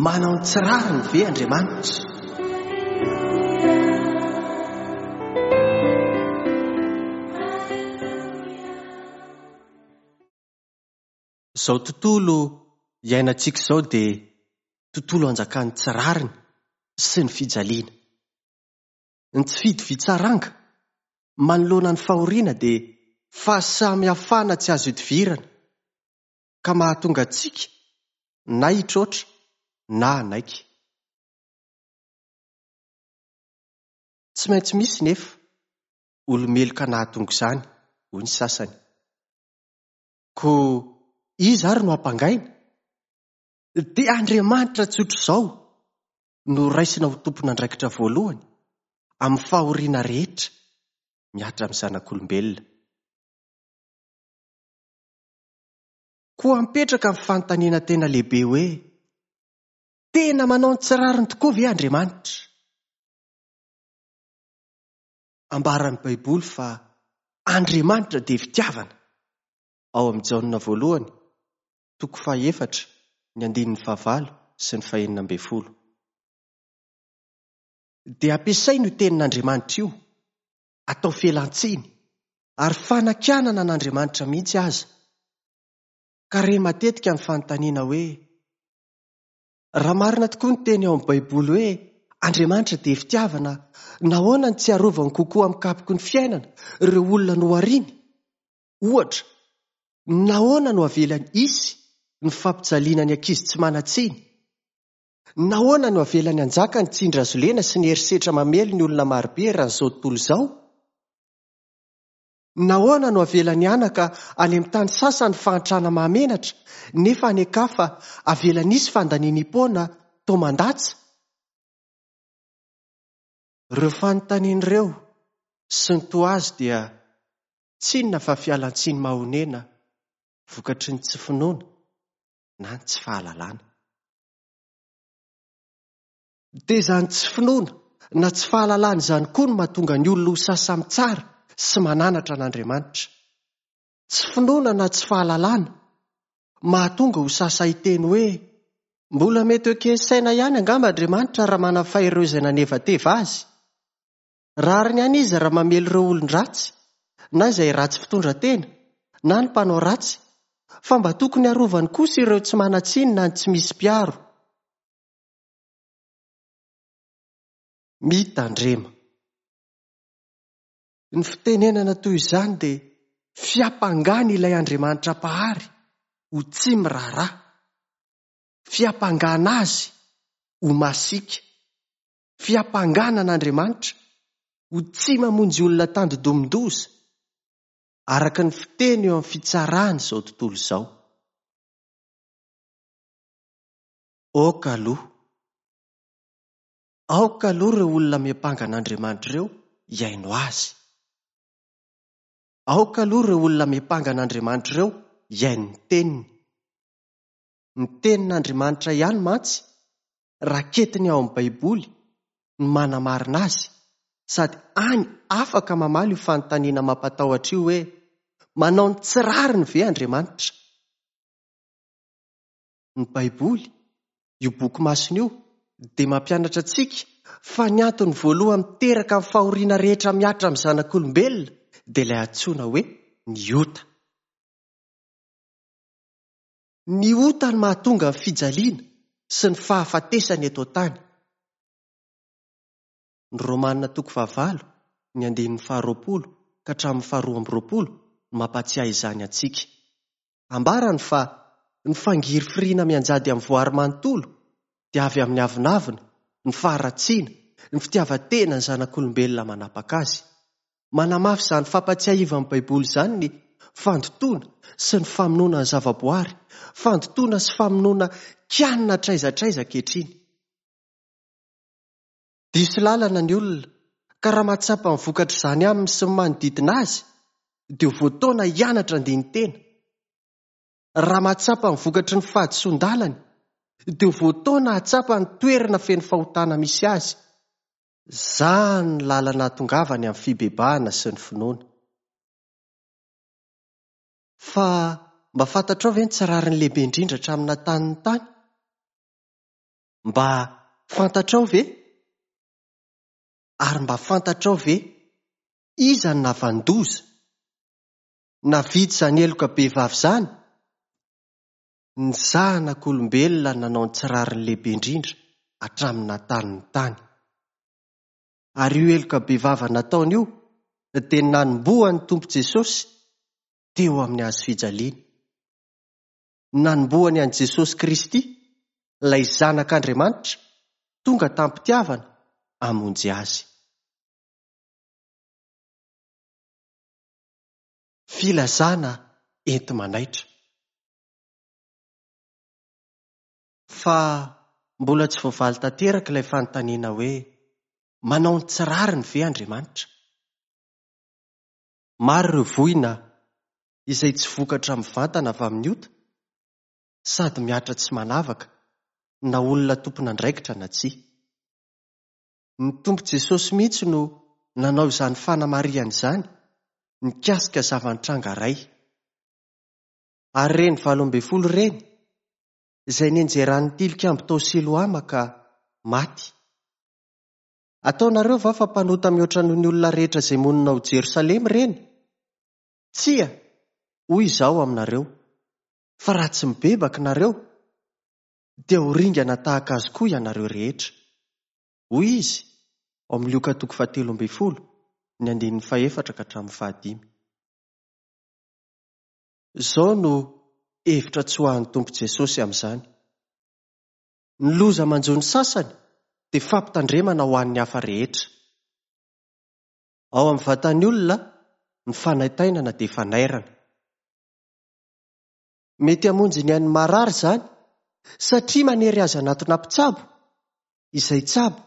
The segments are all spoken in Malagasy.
Manao ny tsy rariny ve Andriamanitra? Izao tontolo iainantsika izao dia tontolo anjakan'ny tsy rariny sy ny fijaliana. Ny tsy fitovian-tsaranga manoloana ny fahoriana dia fahasamihafana tsy azo ihodivirana ka mahatonga antsika na hitroatra na hanaiky. Tsy maintsy misy nefa olo-meloka nahatonga izany, hoy ny sasany. Koa iza ary no hampangaina? Dia Andriamanitra tsotr'izao no raisina ho tompon'andraikitra voalohany amin'ny fahoriana rehetra mihatra amin'ny zanak'olombelona. Koa mipetraka ny fanontaniana tena lehibe hoe, Tena manao ny tsy rariny tokoa ve Andriamanitra? Ambaran'ny Baiboly fa Andriamanitra dia fitiavana, ao amin'ny Jaona voalohany, toko fahefatra, ny andininy fahavalo sy ny fahenina ambin'ny folo. Dia ampiasaina io tenin'Andriamanitra io, atao fialan-tsiny, ary fanakianana an'Andriamanitra mihitsy aza. Ka re matetika ny fanontaniana hoe, Raha marina tokoa ny teny ao amin'ny Baiboly hoe Andriamanitra dia fitiavana, nahoana no tsy arovany kokoa amin'ny kapoky ny fiainana ireo olona nohariny? Ohatra, nahoana no avelany hisy ny fampijaliana ny ankizy tsy manan-tsiny? Nahoana no avelany hanjaka ny tsindry hazolena sy ny herisetra mamely ny olona marobe eran'izao tontolo izao? Nahoana no avelany hanaka any amin'ny tany sasany fahantrana mahamenatra nefa any an-kafa avelany hisy fandanianiam-poana toa mandatsa? Ireo fanontaniana ireo sy ny toa azy dia tsy inona fa fialan-tsiny mahonena vokatry ny tsy finoana na ny tsy fahalalana. Dia izany tsy finoana na tsy fahalalana izany koa no mahatonga ny olona ho sasa-mitsara sy mananatra an'Andriamanitra. Tsy finoana na tsy fahalalana mahatonga ho sasa hiteny hoe, Mbola mety ho eken'ny saina ihany angamba Andriamanitra raha manafay ireo izay nanevateva azy. Rariny ihany izy raha mamely ireo olon-dratsy, na izay ratsy fitondran-tena, na ny mpanao ratsy, fa mba tokony harovany kosa ireo tsy manan-tsiny na ny tsy misy mpiaro. Mitandrema. Ny fitenenana toy izany dia fiampangana ilay Andriamanitra Mpahary ho tsy miraharaha, fiampangana Azy ho masiaka, fiampangana an'Andriamanitra ho tsy mamonjy olona tandindomin-doza, araka ny fiteny eo amin'ny fitsarana izao tontolo izao. Aoka aloha. Aoka aloha ireo olona miampanga an'Andriamanitra ireo hihaino azy. Aoka aloha ireo olona miampanga an'Andriamanitra ireo hihaino ny teniny. Ny tenin'Andriamanitra ihany mantsy, raketiny ao amin'ny Baiboly, no manamarina azy, sady any afaka mamaly io fanontaniana mampatahotra io hoe, Manao ny tsy rariny ve Andriamanitra? Ny Baiboly, io boky masina io, dia mampianatra antsika fa ny antony voalohany miteraka ny fahoriana rehetra mihatra amin'ny zanak'olombelona dia ilay antsoina hoe ny ota. Ny ota no mahatonga ny fijaliana sy ny fahafatesana eto an-tany. Ny Romana toko fahavalo, ny andininy faharoapolo ka hatramin'ny faharoa amby roapolo no mampahatsiahy izany antsika. Ambarany fa ny fangirifiriana mianjady amin'ny voary manontolo dia avy amin'ny avonavona, ny faharatsiana, ny fitiavan-tena ny zanak'olombelona manapaka azy. Manamafy izany fampatsiahivan'ny Baiboly izany ny fandotoana sy ny famonoana ny zavaboary, fandotoana sy famonoana kianina hatraiza hatraiza ankehitriny. Diso lalana ny olona ka raha mahatsapa ny vokatr'izany aminy sy ny manodidina azy dia ho voataona hianatra handini-tena. Raha mahatsapa ny vokatry ny fahadisoan-dalany dia ho voataona hahatsapa ny toerana feno fahotana misy azy. Izany ny lalana hahatongavany amin'ny fibebahana sy ny finoana. Fa mba fantatrao ve ny tsy rariny lehibe indrindra hatramin'ny naha tany ny tany? Mba fantatrao ve? Ary mba fantatrao ve iza no nahavanon-doza? Nahavita izany heloka bevava izany? Ny zanak'olombelona nanao ny tsy rariny lehibe indrindra hatramin'ny naha-tany ny tany. Ary io heloka bevava nataony io dia nanombohan'ny Tompo Jesosy teo amin'ny hazo fijaliana. Nanombohany an'i Jesosy Kristy, ilay Zanak'Andriamanitra, tonga tamim-pitiavana hamonjy azy. Filazana enti-manaitra. Fa mbola tsy voavaly tanteraka ilay fanontaniana hoe, Manao ny tsy rariny ve Andriamanitra? Maro ireo voina izay tsy vokatra mivantana avy amin'ny ota, sady mihatra tsy manavaka na olona tompon'andraikitra na tsia. Ny Tompo Jesosy mihitsy no nanao izany fanamarihana izany mikasika zava-nitranga iray. Ary ireny 18 ireny, izay nianjeran'ny tilikambo tao Siloama ka maty. Ataonareo va fa mpanota mihoatra noho ny olona rehetra izay monina ao Jerosalema ireny? Tsia, hoy Izaho aminareo, fa raha tsy mibebaka nareo, dia ho ringana tahaka azy koa ianareo rehetra. Hoy Izy, ao amin'ny Lioka toko fahatelo ambin'ny folo, ny andininy fahefatra ka hatramin'ny fahadimy. Izao no hevitra tsoahan'ny Tompo Jesosy amin'izany. Ny loza manjo ny sasany dia fampitandremana ho an'ny hafa rehetra. Ao amin'ny vatan'ny olona, ny fanaintainana dia fanairana. Mety hamonjy ny ain'ny marary izany satria manery azy hanatona mpitsabo, izay tsabo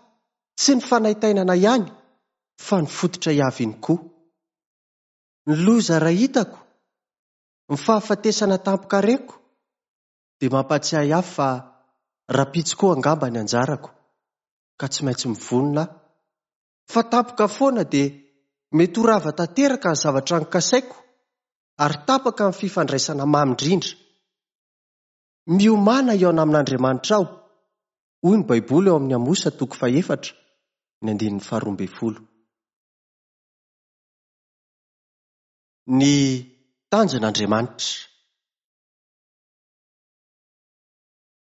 tsy ny fanaintainana ihany fa ny fototra hiaviany koa. Ny loza iray hitako, ny fahafatesana tampoka reko, dia mampahatsiahy ahy fa rahampitso koa angamba ny anjarako ka tsy maintsy mivonona aho fa tampoka foana dia mety ho rava tanteraka ny zavatra nokasaiko ary tapaka ny fifandraisana mamy indrindra. Miomàna hihaona amin'Andriamanitrao, hoy ny Baiboly ao amin'ny Amosa toko fahefatra, ny andininy faharoa ambin'ny folo. Ny tanjon'Andriamanitra.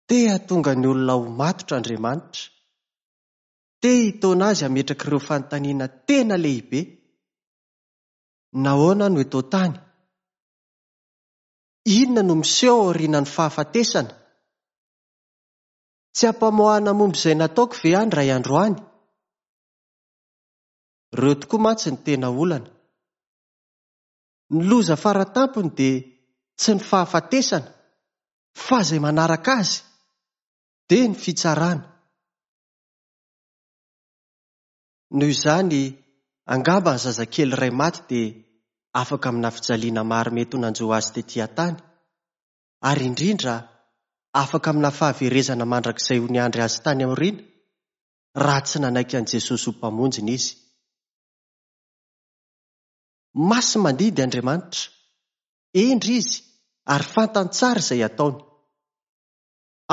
Te hahatonga ny olona ho matotra Andriamanitra. Te hitaona azy hametraka ireo fanontaniana tena lehibe. Nahoana no eto an-tany? Inona no miseho aorianan'ny fahafatesana? Tsy ampamoahana momba izay nataoko ve aho indray andro any? Ireo tokoa mantsy no tena olana. Ny loza faratampony dia tsy ny fahafatesana fa izay manaraka azy dia ny fitsarana. Noho izany, angamba ny zazakely iray maty dia afaka amina fijaliana maro mety ho nanjo azy tetỳ an-tany, ary indrindra afaka amina fahaverezana mandrakizay ho niandry azy tany aoriana, raha tsy nanaiky an'i Jesosy ho Mpamonjiny izy. Masi-mandidy Andriamanitra. Hendry Izy ary fantany tsara izay ataony.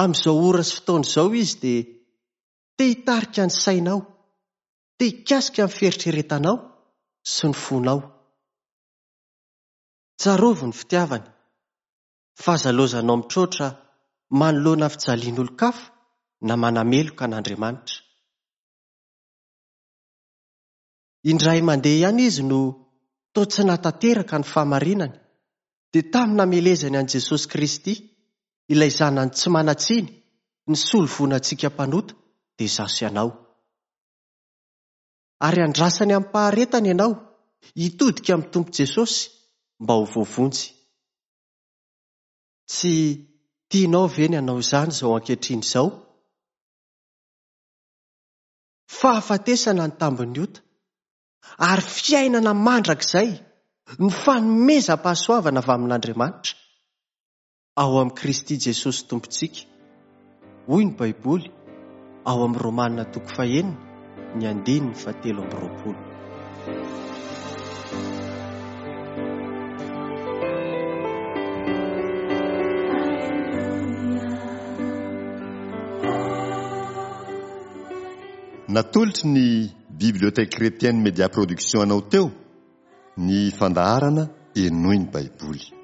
Amin'izao ora sy fotoana izao Izy dia te hitarika ny sainao, te hikasika ny fieritreretanao sy ny fonao. Tsarovy ny fitiavany, fa aza lozanao mitroatra manoloana fijalian'olon-kafa na manameloka an'Andriamanitra. Indray mandeha ihany izy no toa tsy nahatanteraka ny fahamarinany, dia tamin'ny namelezany an'i Jesosy Kristy, ilay Zanany tsy manan-tsiny, nisolo voina antsika mpanota, dia izaho sy ianao. Ary andrasany amim-paharetana ianao hitodika amin'ny Tompo Jesosy mba ho voavonjy. Tsy tianao ve ny hanao izany izao ankehitriny izao? Fahafatesana ny tambin'ny ota, ary fiainana mandrakizay ny fanomezam-pahasoavana avy amin'Andriamanitra ao amin'i Kristy Jesosy Tompontsika, hoy ny Baiboly ao amin'ny Romana toko fahenina ny andininy fahatelo amby roapolo. Natolotry ny Bibliothèque Chrétienne Média Production anao teo ny fandaharana Henoy ny Baiboly.